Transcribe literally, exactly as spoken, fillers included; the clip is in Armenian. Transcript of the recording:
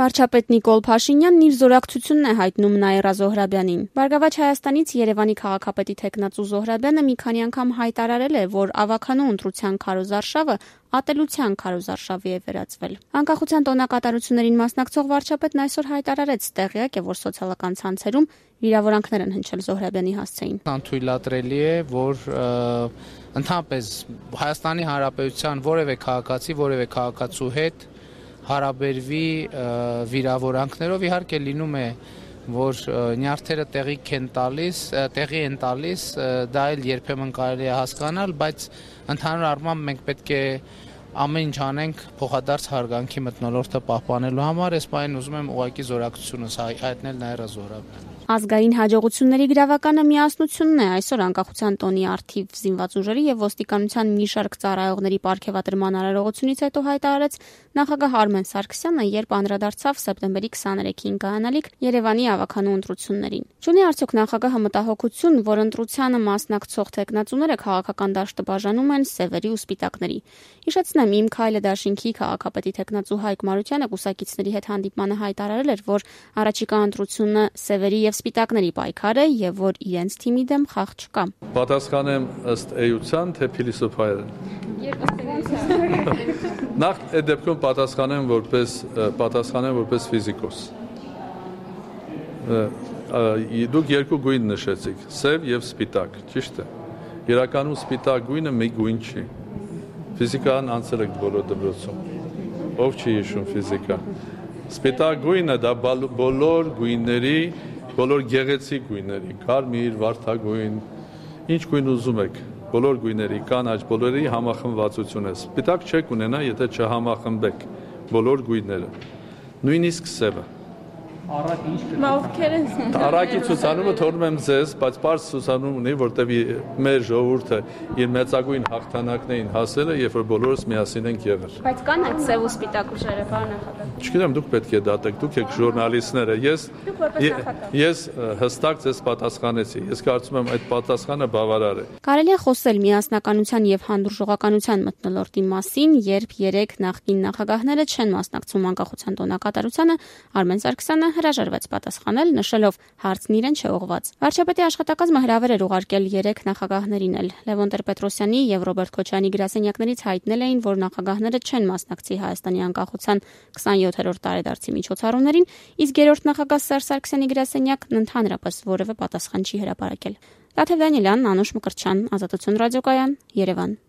Վարչապետ Նիկոլ Փաշինյանն իր զորակցությունն է հայտնում Նաիրա Զոհրաբյանին։ Բարգավաճ Հայաստանից Երևանի քաղաքապետի թեկնածու Զոհրաբյանը մի քանի անգամ հայտարարել է, որ ավականու ընտրության քարոզարշավը ատելության քարոզարշավի է վերածվել։ Անկախության տոնակատարություններին մասնակցող վարչապետն այսօր հայտարարեց, տեղյակ է, որ սոցիալական ցանցերում վիրավորանքներ են հնչել Զոհրաբյանի հասցեին։ Անթույլատրելի է, որ ընդհանրապես Հայաստանի Հանրապետության որևէ քաղաքացի, որևէ քաղաքացու հետ հարաբերվի վիրավորանքներով, իհարկե լինում է, որ նյարդերը տեղի են տալիս, տեղի են տալիս, դա էլ երբեմն կարելի է հասկանալ, բայց ընդհանուր առմամբ մենք պետք է ամեն ինչ անենք փոխադարձ հարգանքի մթնոլորտը պահպանելու համար, այս բանին ուզում եմ ուղղակի զորակցությունս հայտնել Նաիրա Զոհրաբյանին։ Ազգային հաջողությունների գրավականը միասնությունն է այսօր անկախության տոնի առթիվ զինված ուժերի եւ ոստիկանության մի շարք ծառայողների պարգևատրման արարողությունից հետո հայտարարեց նախագահ Արմեն Սարգսյանը, երբ անդրադարձավ սեպտեմբերի քսաներեքին կայանալիք Երևանի ավականու ընտրություններին։ Չունի արդյոք նախագահը մտահոգություն, որ ընտրությանը մասնակցող թեկնածուները քաղաքական դաշտը բաժանում են սևերի ու սպիտակների։ Հիշեցնեմ, Իմ քայլը դաշինքի քաղաքապետի թեկնածու Հայկ Մարությանը կուսակիցների հետ հանդիպմանը հայտարարել էր, որ առաջիկա ընտրությունը սևերի եւ սպիտակների պայքար է եւ որ իրենց թիմի դեմ խաղ չկա։ Պատասխանեմ ըստ էության, թե փիլիսոփայերեն։ Նախ այդ դեպքում պատասխանեմ որպես պատասխանեմ որպես ֆիզիկոս։ Դուք երկու գույն նշեցիք՝ սև եւ սպիտակ, ճիշտ է։ Իրականում սպիտակ գույնը մի գույն չի։ Ֆիզիկան անցել եք բոլոր դպրոցում։ Ով չի հիշում ֆիզիկա։ Սպիտակ գույնը դա բոլոր գույների, բոլոր գեղեցիկ գույների, կարմիր, վարդագույն, ինչ գույն ուզում եք, բոլոր գույների, կանաչ, բոլորի համախմբվածություն է։ Սպիտակ չեք ունենա, եթե չհամախմբեք բոլոր գույները։ Նույնիսկ սևը։ Առակի ինչ Առակի ցուցանումը թողնում եմ ձեզ, բայց պարզ ցուցանում ունի, որտեղ մեր ժողովուրդը իր մեծագույն հաղթանակներին հասել է, երբ որ բոլորս միասին ենք եղել։ Բայց կան այդ սև ու սպիտակ ուժերը, պարոն նախագահ։ Չգիտեմ, դուք պետք է դատեք, դուք եք ժուրնալիստները։ Ես ես հստակ ձեզ պատասխանեցի։ Ես կարծում եմ այդ պատասխանը բավարար է։ Կարելի է խոսել միասնականության եւ հանդուրժողականության մթնոլորտի մասին, երբ երեք նախկին նախագահները չեն մասնակցում անկախության տոնակատարությանը, Արմեն Սարգսյանը հրաժարվեց պատասխանել, նշելով հարցն իրեն չէ ուղղված։ Վարչապետի աշխատակազմը հրավեր էր ուղարկել երեք նախագահներին էլ։ Լևոն Տեր-Պետրոսյանի եւ Ռոբերտ Քոչարյանի գրասենյակներից հայտնել էին, որ նախագահները չեն մասնակցի Հայաստանի անկախության քսաներորդ տարեդարձի միջոցառումներին, իսկ երրորդ նախագահ Սերժ Սարգսյանի գրասենյակն ընդհանրապես որևէ պատասխան չի հրապարակել։ Տաթև Դանիելյան, Անուշ Մկրտչյան, Ազատություն ռադիոկայան, Երևան։